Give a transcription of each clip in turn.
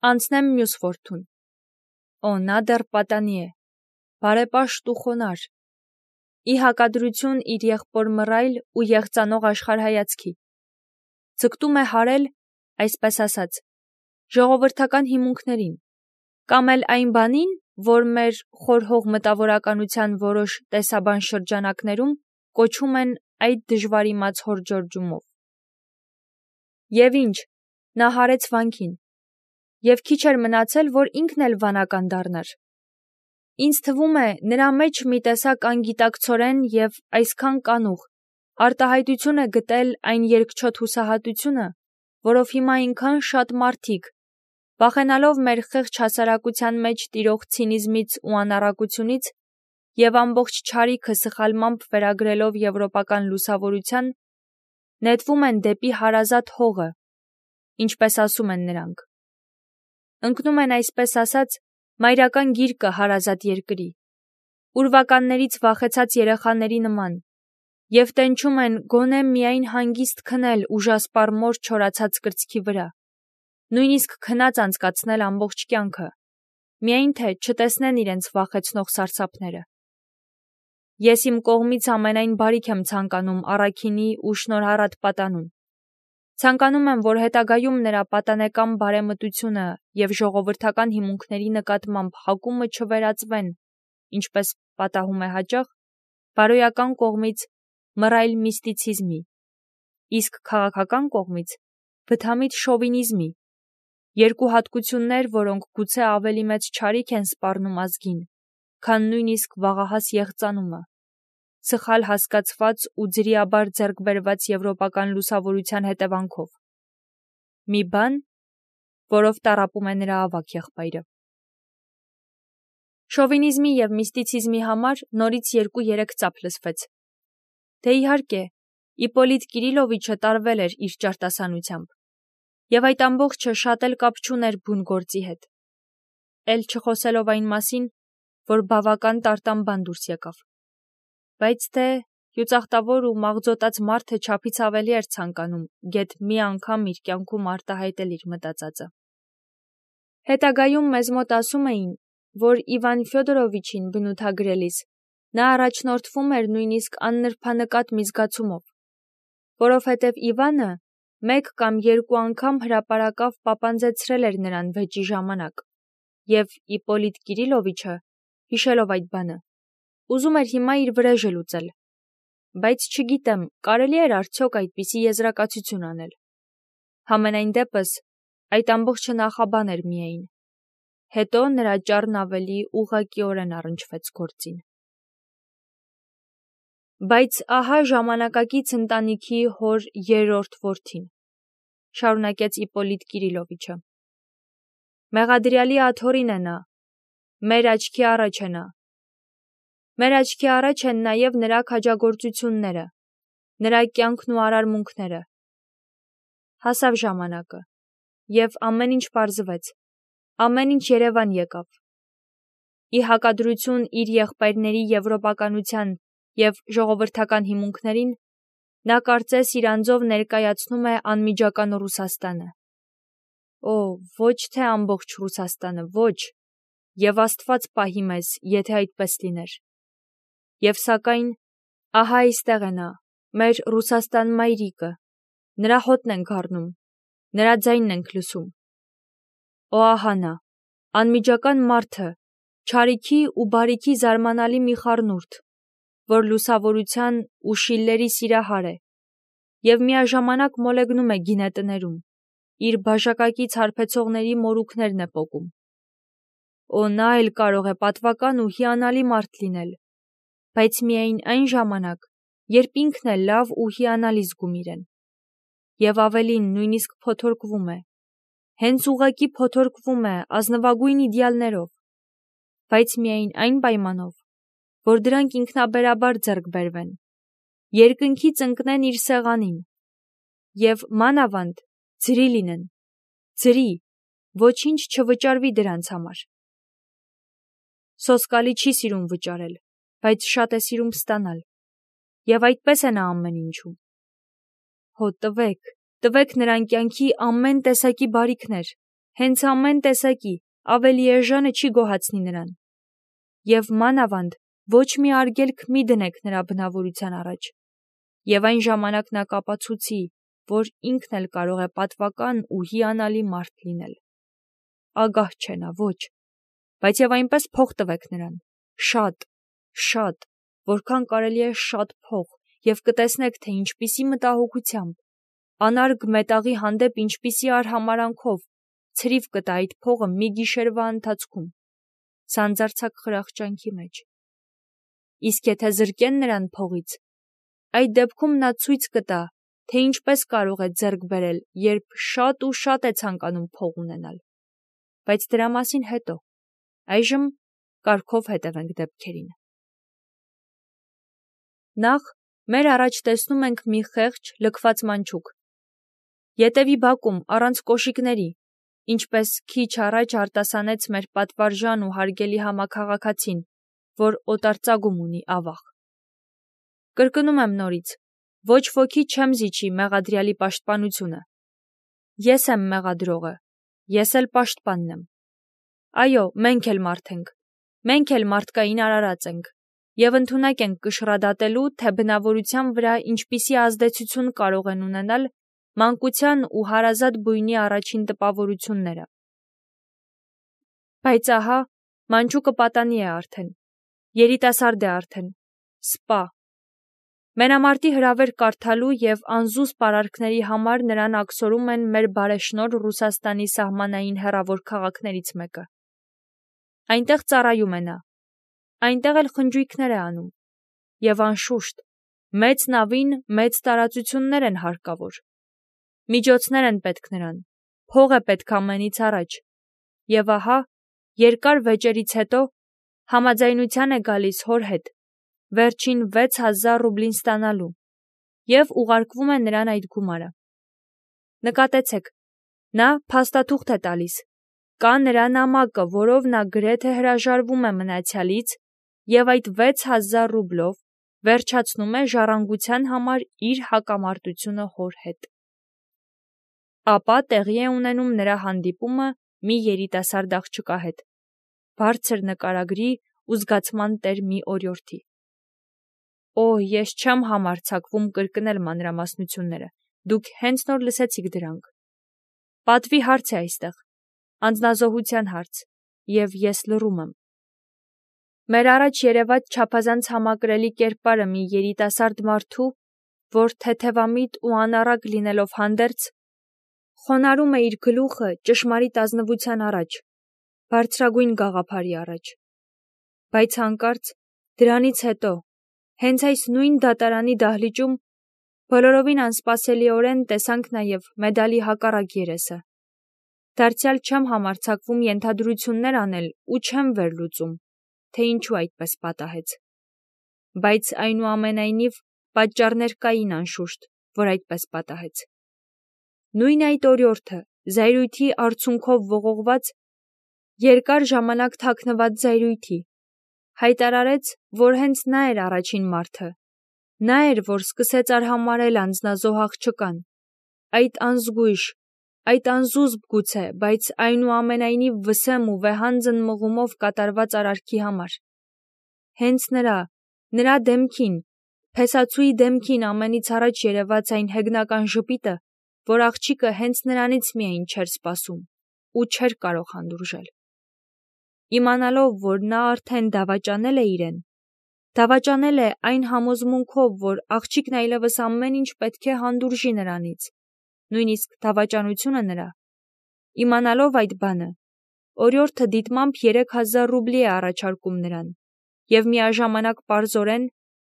Անցնեմ մյուս որդուն։ Օ, նա դեռ պատանի է, բարեպաշտ ու խոնար, ի հակադրություն իր եղբոր մռայլ ու եղծանող աշխարհայացքի։ Ձգտում է հարել, այսպես ասած, ժողովրդական հիմունքներին, կամ էլ այն բանին, որ մեր խորհող մտավորականության որոշ տեսաբան շրջանակներում կոչում են այդ դժվարիմաց հորջորջումով։ Եվ ինչ, նա հարեց վանքին, և քիչ էր մնացել, որ ինքն էլ վանական դառնար։ Ինձ թվում է, նրա մեջ մի տեսակ անգիտակցորեն և այսքան կանուխ արտահայտություն է գտել այն երկչոտ հուսահատությունը, որով հիմա այնքան շատ մարդիկ, վախենալով մեր խեղճ հասարակության մեջ տիրող ցինիզմից ու անառակությունից և ամբողջ չարիքը սխալմամբ վերագրելով եվրոպական լուսավորության, նետվում են դեպի հարազատ հողը, ինչպես ասում են նրանք։ Ընկնում են, այսպես ասած, մայրական գիրկը հարազատ երկրի, ուրվականներից վախեցած երեխաների նման, և տենչում են գոնե միայն հանգիստ քնել ուժասպառ մոր չորացած կրծքի վրա, նույնիսկ քնած անցկացնել ամբողջ կյանքը, միայն թե չտեսնեն իրենց վախեցնող սարսափները։ Ես իմ կողմից ամենայն բարիք եմ ցանկանում առաքինի ու շնորհառատ պատանուն։ Ցանկանում եմ, որ հետագայում նրա պատանեկան բարեմտությունը և ժողովրդական հիմունքների նկատմամբ հակումը չվերածվեն, ինչպես պատահում է հաճախ, բարոյական կողմից մռայլ միստիցիզմի, իսկ քաղաքական կողմից բթամիտ շովինիզմի, երկու հատկություններ, որոնք գուցե ավելի մեծ չարիք են սպառնում ազգին, քան նույնիսկ վաղահաս եղծանումը, սխալ հասկացված ու ձրիաբար ձեռք բերված եվրոպական լուսավորության հետևանքով։ Մի բան, որով տառապում է նրա ավագ եղբայրը։ Շովինիզմի և միստիցիզմի համար նորից 2-3 ծափ լսվեց։ Դե իհարկե, Իպոլիտ Կիրիլովիչը տարվել էր իր ճարտասանությամբ, և այդ ամբողջը շատ էլ կապ չուներ բուն գործի հետ, էլ չխոսելով այն մասին, որ բավական տարտան բան դուրս եկավ։ Բայց թե հյուծախտավոր ու մաղձոտած մարդը չափից ավելի էր ցանկանում գեթ մի անգամ իր կյանքում արտահայտել իր մտածածը։ Հետագայում մեզ մոտ ասում էին, որ Իվան Ֆյոդորովիչին բնութագրելիս նա առաջնորդվում էր նույնիսկ աննրբանկատ մի զգացումով, որովհետև Իվանը 1 կամ 2 անգամ հրապարակավ պապանձեցրել էր նրան վեճի ժամանակ, և Իպոլիտ Կիրիլովիչը, հիշելով այդ բանը, ուզում էր հիմա իր վրեժը լուծել, բայց չգիտեմ, կարելի էր արդյոք այդպիսի եզրակացություն անել։ Համենայն դեպս, այդ ամբողջը նախաբան էր միայն։ Հետո նրա ճառն ավելի ուղղակիորեն առնչվեց գործին։ Բայց ահա ժամանակակից ընտանիքի հոր 3-րդ որդին, շարունակեց Իպոլիտ Կիրիլովիչը։ Մեղադրյալի աթոռին է նա, մեր աչքի առաջ է նա։ Մեր աչքի առաջ են նաև նրա քաջագործությունները, նրա կյանքն ու արարմունքները։ Հասավ ժամանակը, և ամեն ինչ պարզվեց, ամեն ինչ երևան եկավ։ Ի հակադրություն իր եղբայրների եվրոպականության և ժողովրդական հիմունքներին, նա կարծես իր անձով ներկայացնում է անմիջական Ռուսաստանը։ Օ, ոչ թե ամբողջ Ռուսաստանը, ոչ, և Աստված պահի մեզ, եթե այդպես լիներ։ Եվ սակայն, ահա այստեղ է նա, մեր Ռուսաստան մայրիկը, նրա հոտն ենք առնում, նրա ձայնն ենք լսում։ Օ, ահա նա, անմիջական մարդը, չարիքի ու բարիքի զարմանալի մի խառնուրդ, որ լուսավորության ու Շիլլերի սիրահար է, և միաժամանակ մոլեգնում է գինետներում, իր բաժակակից հարբեցողների մորուքներն է պոկում։ Օ, նա էլ կարող է պատվական ու հիանալի մարդ լինել, բայց միայն այն ժամանակ, երբ ինքն է լավ ու հիանալի զգում իրեն։ Եվ ավելին, նույնիսկ փոթորկվում է, հենց ուղղակի փոթորկվում է ազնվագույն իդեալներով, բայց միայն այն պայմանով, որ դրանք ինքնաբերաբար ձեռք բերվեն, երկնքից ընկնեն իր սեղանին, և մանավանդ ձրի լինեն, ձրի, ոչինչ չվճարվի դրանց համար։ Սոսկալի չի սիրում վճարել, բայց շատ է սիրում ստանալ, և այդպես է նա ամեն ինչում։ Հո տվեք նրան կյանքի ամեն տեսակի բարիքներ, հենց ամեն տեսակի, ավելի էժանը չի գոհացնի նրան։ Եվ մանավանդ ոչ մի արգելք մի դնեք նրա բնավորության առաջ։ Եվ այն ժամանակ նա կապացուցի, որ ինքն էլ կարող է պատվական ու հիանալի մարդ լինել։ Ագահ չէ նա, ոչ, բայց եւ այնպես փող տվեք նրան, շատ, որքան կարելի է շատ փող, եւ կտեսնեք, թե ինչպիսի մտահոգությամբ, անարգ մետաղի հանդեպ ինչպիսի արհամարանքով ցրիվ կտա այդ փողը մի գիշերվա ընթացքում, սանձարձակ խրախճանքի մեջ։ Իսկ եթե զրկեն նրան փողից, այդ դեպքում նա ցույց կտա, թե ինչպես կարող է ձեռք բերել, երբ շատ ու շատ է ցանկանում փող ունենալ։ Բայց դրա մասին հետո, այժմ կարգով հետևենք դեպքերին։ Նախ մեր առաջ տեսնում ենք մի խեղճ, լքված մանչուկ։ Ետևի բակում առանց կոշիկների, ինչպես քիչ առաջ արտասանեց մեր պատվարժան ու հարգելի համաքաղաքացին, որ օտարծագում ունի ավաղ։ Կրկնում եմ նորից, ոչ ոքի չեմ զիջի մեղադրյալի պաշտպանությունը։ Ես եմ մեղադրողը, ես էլ պաշտպանն եմ։ Այո, մենք էլ մարդ ենք, մենք էլ մարդկային արարած ենք, եւ ընդունակ ենք կշռադատելու, թե բնավորության վրա ինչպիսի ազդեցություն կարող են ունենալ մանկության ու հարազատ բույնի առաջին տպավորությունները։ Բայց ահա, մանչուկը պատանի է արդեն, երիտասարդ է արդեն, սպա։ Մենամարտի հրավեր կարդալու եւ անզուս պարարքների համար նրան աքսորում են մեր բարեշնորհ Ռուսաստանի սահմանային հեռավոր քաղաքներից մեկը։ Այնտեղ ծառայում է նա, այնտեղ էլ խնջույքներ է անում, եւ անշուշտ, մեծ նավին մեծ տարածություններ են հարկավոր։ Միջոցներ են պետք նրան, փող է պետք ամենից առաջ, եւ ահա, երկար վեճերից հետո համաձայնության է գալիս հոր հետ, վերջին 6000 ռուբլին ստանալու, եւ ուղարկվում է նրան այդ գումարը։ Նկատեցեք, նա փաստաթուղթ է տալիս, կա նրա նամակը, որով նա գրեթե հրաժարվում է մնացյալից, եւ այդ 6000 ռուբլով վերջացնում է ժառանգության համար իր հակամարտությունը հոր հետ։ Ապա տեղի է ունենում նրա հանդիպումը մի երիտասարդ աղջկա հետ, բարձր նկարագրի ու զգացման տեր մի օրիորդի։ Օ, ես չեմ համարձակվում կրկնել մանրամասնությունները, դուք հենց նոր լսեցիք դրանք։ Պատվի հարց է այստեղ, անձնազոհության հարց, եւ ես լռում եմ։ Մեր առաջ երևաց չափազանց համակրելի կերպարը մի երիտասարդ մարդու, որ թեթևամիտ ու անառակ լինելով հանդերձ, խոնարհում է իր գլուխը ճշմարիտ ազնվության առաջ, բարձրագույն գաղափարի առաջ։ Բայց հանկարծ դրանից հետո, հենց այս նույն դատարանի դահլիճում, բոլորովին անսպասելիորեն տեսանք նաև մեդալի հակառակ երեսը։ Դարձյալ չեմ համարձակվում ենթադրություններ անել ու չեմ վերլուծում, թե ինչու այդպես պատահեց։ Բայց այնուամենայնիվ պատճառներ կային անշուշտ, որ այդպես պատահեց։ Նույն այդ օրիորդը, զայրույթի արդյունքով ողողված, երկար ժամանակ թաքնված զայրույթի, հայտարարեց, որ հենց նա էր առաջին մարդը, նա էր, որ սկսեց արհամարհել անձնազոհ աղջկան, այդ անզգույշ, այդ անզուսպ գուցե, բայց այնուամենայնիվ վսեմ ու վեհանձն մղումով կատարված արարքի համար։ Հենց նրա դեմքին, փեսացուի դեմքին ամենից առաջ երևաց այն հեգնական ժպիտը, որ աղջիկը հենց նրանից միայն չէր սպասում ու չէր կարող հանդուրժել։ Իմանալով, որ նա արդեն դավաճանել է իրեն, դավաճանել է այն համոզմունքով, որ աղջիկն այլևս ամեն ինչ պետք է հանդուրժի նրանից, նույնիսկ դավաճանությունը նրա։ Իմանալով այդ բանը, օրիորդը դիտմամբ 3000 ռուբլի է առաջարկում նրան, եւ միաժամանակ պարզորեն,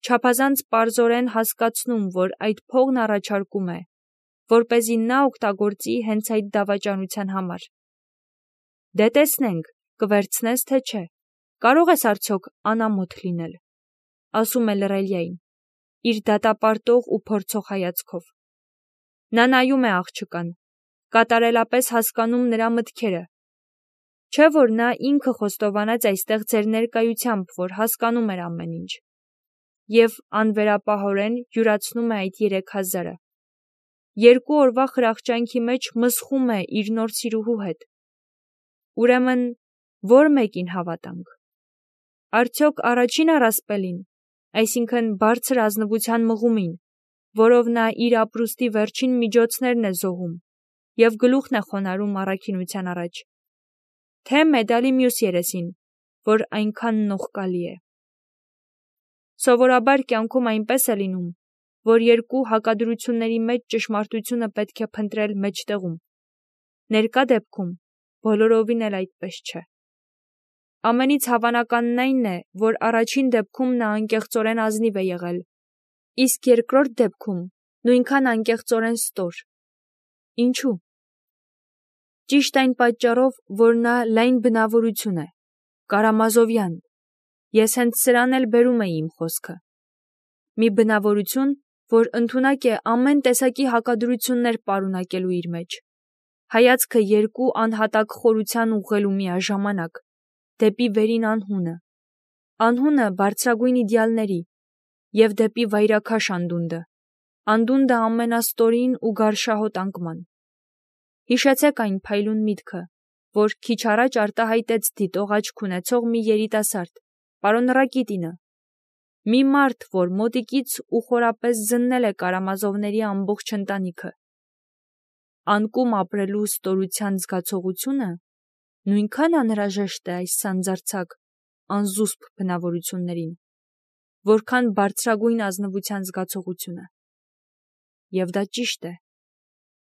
չափազանց պարզորեն հասկացնում, որ այդ փողն առաջարկում է, որպեսզի նա օգտագործի հենց այդ դավաճանության համար։ Դե տեսնենք, կվերցնես թե չէ, կարող ես արդյոք անամոթ լինել, ասում է լռելյային, իր դատապարտող ու փորձող հայացքով։ Նա նայում է աղջկան, կատարելապես հասկանում նրա մտքերը, չէ՞ որ նա ինքը խոստովանած այստեղ ձեր ներկայությամբ, որ հասկանում էր ամեն ինչ, եւ անվերապահորեն յուրացնում է այդ 3000-ը։ 2 օրվա խրախճանքի մեջ մսխում է իր նոր սիրուհու հետ, Ուրեմն, որ մեկին հավատանք։ Արդյոք առաջին առասպելին, այսինքն բարձր ազնվության մղումին, որով նա իր ապրուստի վերջին միջոցներն է զոհում և գլուխն է խոնարհում առաքինության առաջ, թե մեդալի մյուս երեսին, որ այնքան նողկալի է։ Սովորաբար կյանքում այնպես է լինում, որ երկու հակադրությունների մեջ ճշմարտությունը պետք է փնտրել մեջտեղում։ Ներկա դեպքում բոլորովին էլ այդպես չէ։ Ամենից հավանականն այն է, որ առաջին դեպքում նա անկեղծորեն ազնիվ է եղել, իսկ երկրորդ դեպքում նույնքան անկեղծորեն ստոր։ Ինչու՞։ Ճիշտ այն պատճառով, որ նա լայն բնավորություն է, կարամազովյան։ Ես հենց սրան էլ բերում էի իմ խոսքը։ Մի բնավորություն, որ ընդունակ է ամեն տեսակի հակադրություններ պարունակելու իր մեջ։ Հայացքը երկու անհատակ խորության ուղղելու միաժամանակ, դեպի վերին անհունը, անհունը բարձրագույն իդեալների և դեպի վայրաքաշ անդունդը ամենաստորին ու գարշահոտ անկման։ Հիշեցեք այն փայլուն միտքը, որ քիչ առաջ արտահայտեց դիտող աչք ունեցող մի երիտասարդ, պարոն Ռակիտինը, մի մարդ, որ մոտիկից ու խորապես զննել է Կարամազովների ամբողջ ընտանիքը։ Անկում ապրելու ստորության զգացողությունը նույնքան անհրաժեշտ է այս սանձարձակ, անզուսպ բնավորություններին, որքան բարձրագույն ազնվության զգացողությունը։ Եվ դա ճիշտ է։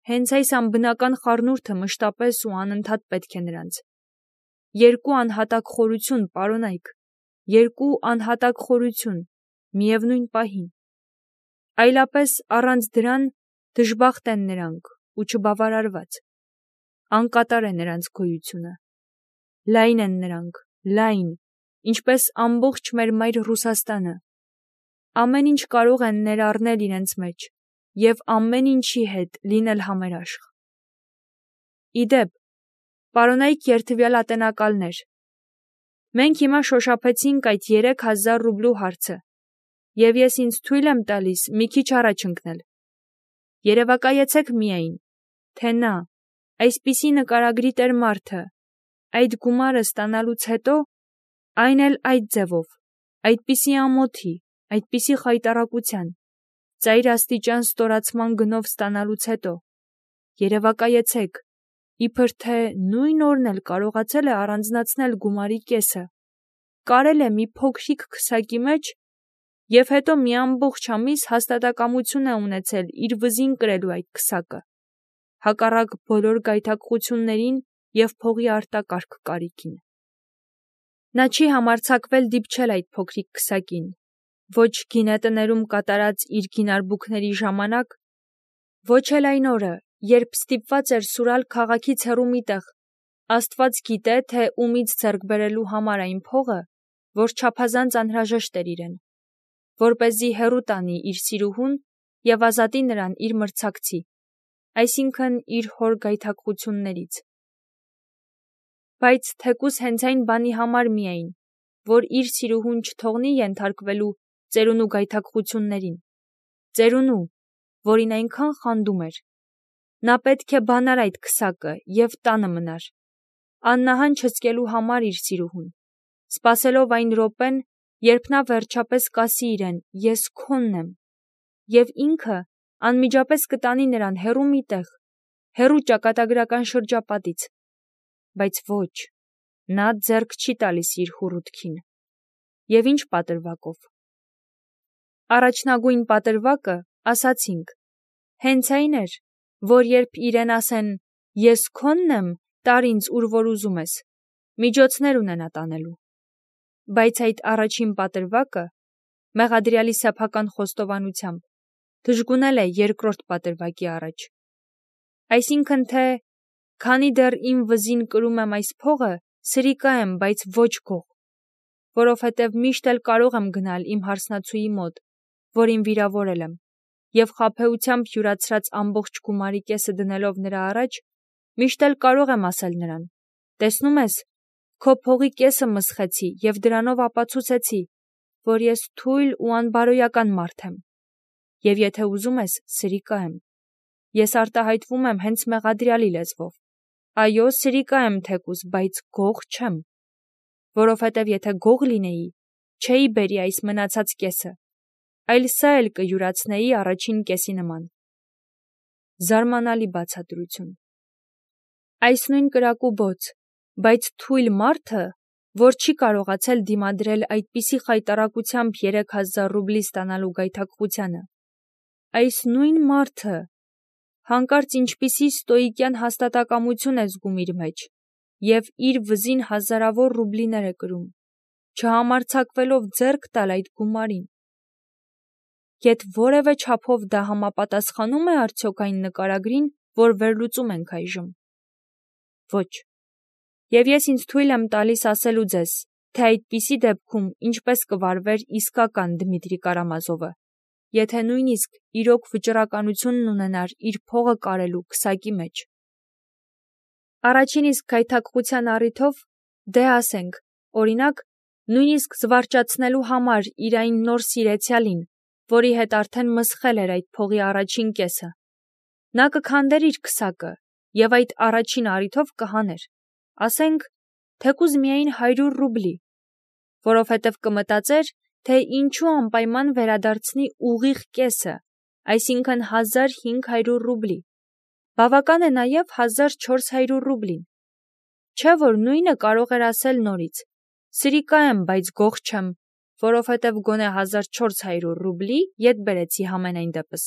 Հենց այս անբնական խառնուրդը մշտապես ու անընդհատ պետք է նրանց։ Երկու անհատակ խորություն, պարոնայք, երկու անհատակ խորություն, միևնույն պահին։ Այլապես առանց դրան դժբախտ են նրանք ու չբավարարված։ Անկատար է նրանց գոյությունը։ Լայն են նրանք, լայն, ինչպես ամբողջ մեր մայր Ռուսաստանը։ Ամեն ինչ կարող են ներառնել իրենց մեջ և ամեն ինչի հետ լինել համերաշխ։ Իդեպ, պարոնայք երդվյալ ատենակալներ, մենք հիմա շոշափեցինք այդ 3000 ռուբլու հարցը, և ես ինձ թույլ եմ տալիս մի քիչ առաջ ընկնել։ Երևակայեցեք միայն, թե նա, այսպիսի նկարագրի տեր մարդը, այդ գումարը ստանալուց հետո, այն էլ այդ ձևով, այդպիսի ամոթի, այդպիսի խայտառակության, ծայրաստիճան ստորացման գնով ստանալուց հետո, երևակայեցեք, իբր թե նույն օրն էլ կարողացել է առանձնացնել գումարի կեսը, կարել է մի փոքրիկ քսակի մեջ և հետո մի ամբողջ ամիս հաստատակամություն է ունեցել իր վզին կրելու այդ քսակը, հակառակ բոլոր գայթակղություններին և փողի արտակարգ կարիքին։ Նա չի համարձակվել դիպչել այդ փոքրիկ քսակին, ոչ գինետներում կատարած իր գինարբուքների ժամանակ, ոչ էլ այն օրը, երբ ստիպված էր սուրալ քաղաքից հեռու մի տեղ, Աստված գիտե, թե ումից ձեռք բերելու համար այն փողը, որ չափազանց անհրաժեշտ էր իրեն, որպեսզի հեռու տանի իր սիրուհուն և ազատի նրան իր մրցակցի, այսինքն իր հոր գայթակղություններից։ Բայց թեկուզ հենց այն բանի համար միայն, որ իր սիրուհուն չթողնի ենթարկվելու ծերունու գայթակղություններին, ծերունու, որին այնքան խանդում էր, նա պետք է բանար այդ քսակը և տանը մնար, աննահան չզգելու համար իր սիրուհուն, սպասելով այն րոպեն, երբ նա վերջապես կասի իրեն «ես քոնն եմ», և ինքը անմիջապես կտանի նրան հեռու մի տեղ, հեռու ճակատագրական շրջապատից, բայց ոչ, նա ձեռք չի տալիս իր հուռութքին։ Եվ ինչ պատրվակով։ Առաջնագույն պատրվակը, ասացինք, հենց այն էր, որ երբ իրեն ասեն «ես քոնն եմ, տար ինձ ուր որ ուզում ես», միջոցներ ունենա տանելու։ Բայց այդ առաջին պատրվակը, մեղադրյալի սեփական խոստովանությամբ, դժգունել է երկրորդ պատրվակի առաջ։ Այսինքն թե, քանի դեռ իմ վզին կրում եմ այս փողը, սրիկա եմ, բայց ոչ գող, որովհետև միշտ էլ կարող եմ գնալ իմ հարսնացուի մոտ, որին վիրավորել եմ, և խաբեությամբ յուրացրած ամբողջ գումարի կեսը դնելով նրա առաջ, միշտ էլ կարող եմ ասել նրան. տեսնում ես, քո փողի կեսը մսխեցի և դրանով ապացուցեցի, որ ես թույլ ու անբարոյական մարդ եմ, և եթե ուզում ես, սրիկա եմ։ Ես արտահայտվում եմ հենց մեղադրյալի լեզվով, Այո, սրիկա եմ թեկուզ, բայց գող չեմ, որովհետև եթե գող լինեի, չէի բերի այս մնացած կեսը, այլ սա էլ կյուրացնեի առաջին կեսի նման։ Զարմանալի բացատրություն։ Այս նույն կրակու բոց, բայց թույլ մարդը, որ չի կարողացել դիմադրել այդպիսի խայտառակությամբ 3000 ռուբլի ստանալու գայթակղությանը, այս նույն մարդը հանկարծ ինչպիսի ստոիկյան հաստատակամություն է զգում իր մեջ և իր վզին հազարավոր ռուբլիներ է կրում, չհամարձակվելով ձեռք տալ այդ գումարին։ Եթ որևէ չափով դա համապատասխանում է արդյոք այն նկարագրին, որ վերլուծում ենք այժմ։ Ոչ։ Եվ ես ինձ թույլ եմ տալիս ասելու ձեզ, թե այդպիսի դեպքում ինչպես կվարվեր իսկական Դմիտրի Կարամազովը, եթե նույնիսկ իրոք վճռականությունն ունենար իր փողը կարելու քսակի մեջ։ Առաջին իսկ գայթակղության առիթով, դե ասենք, օրինակ, նույնիսկ զվարճացնելու համար իր այն նոր սիրեցյալին, որի հետ արդեն մսխել էր այդ փողի առաջին կեսը, նա կքանդեր իր քսակը և այդ առաջին առիթով կհաներ, ասենք, թեկուզ միայն 100 ռուբլի, որովհետև կմտածեր, թե ինչու անպայման վերադարձնի ուղիղ կեսը, այսինքն 1500 ռուբլի, բավական է նաև 1400 ռուբլին, չէ որ նույնը կարող էր ասել նորից, սրիկա եմ, բայց գող չեմ, որովհետև գոնե 1400 ռուբլի ետ բերեցի համենայն դեպս,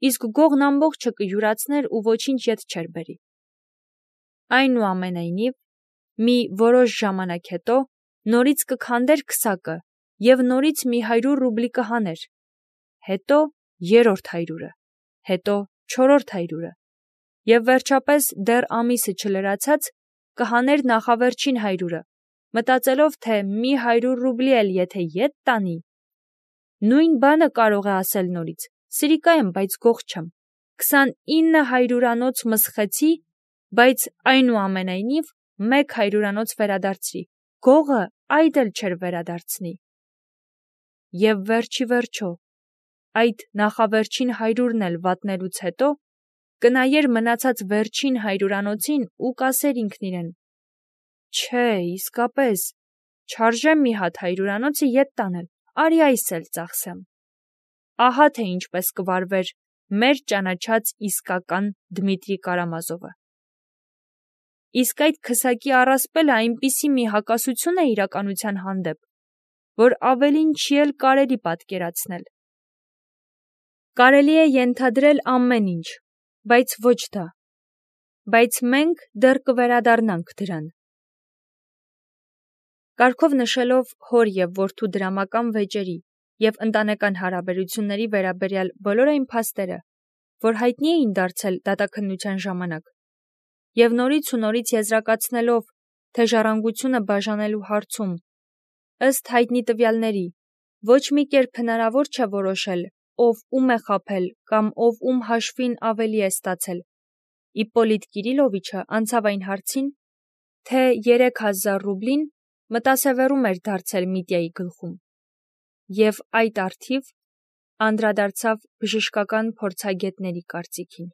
իսկ գողն ամբողջը կյուրացներ ու ոչինչ ետ չէր բերի։ Այնուամենայնիվ, մի որոշ ժամանակ հետո նորից կքանդեր քսակը և նորից մի 100 ռուբլի կհաներ, հետո երրորդ 100-ը, հետո չորրորդ 100-ը և վերջապես դեռ ամիսը չլրացած կհաներ նախավերջին 100-ը, մտածելով, թե մի 100 ռուբլի էլ եթե ետ տանի, նույն բանը կարող է ասել նորից, սրիկա եմ, բայց գող չեմ, 29 100-անոց մսխեցի, բայց այնուամենայնիվ մեկ 100-անոց վերադարձրի, գողը այդ էլ չէր վերադարձնի։ Եվ վերջի վերջո, այդ նախավերջին 100-ն էլ վատնելուց հետո, կնայեր մնացած վերջին 100-անոցին ու կասեր ինքն իրեն. չէ, իսկապես, չարժե մի հատ 100-անոցը ետ տանել, արի այս էլ ծախսեմ։ Ահա թե ինչպես կվարվեր մեր ճանաչած իսկական Դմիտրի Կարամազովը։ Իսկ այդ քսակի առասպելը այնպիսի մի հակասություն է իրականության հանդեպ, որ ավելին չի էլ կարելի պատկերացնել։ Կարելի է ենթադրել ամեն ինչ, բայց ոչ դա, բայց մենք դեռ կվերադառնանք դրան։ Կարգով նշելով հոր և որդու դրամական վեճերի և ընտանեկան հարաբերությունների վերաբերյալ բոլոր այն փաստերը, որ հայտնի էին դարձել դատաքննության ժամանակ, և նորից ու նորից եզրակացնելով, թե ժառանգությունը բաժանելու հարցում, ըստ հայտնի տվյալների, ոչ մի կերպ հնարավոր չէ որոշել, ով ում է խաբել կամ ով ում հաշվին ավելի է ստացել, Իպպոլիտ Կիրիլովիչը անցավ այն հարցին, թե 3000 ռուբլին մտասևեռում էր դարձել Միտյայի գլխում, և այդ առթիվ անդրադարձավ բժշկական փորձագետների կարծիքին։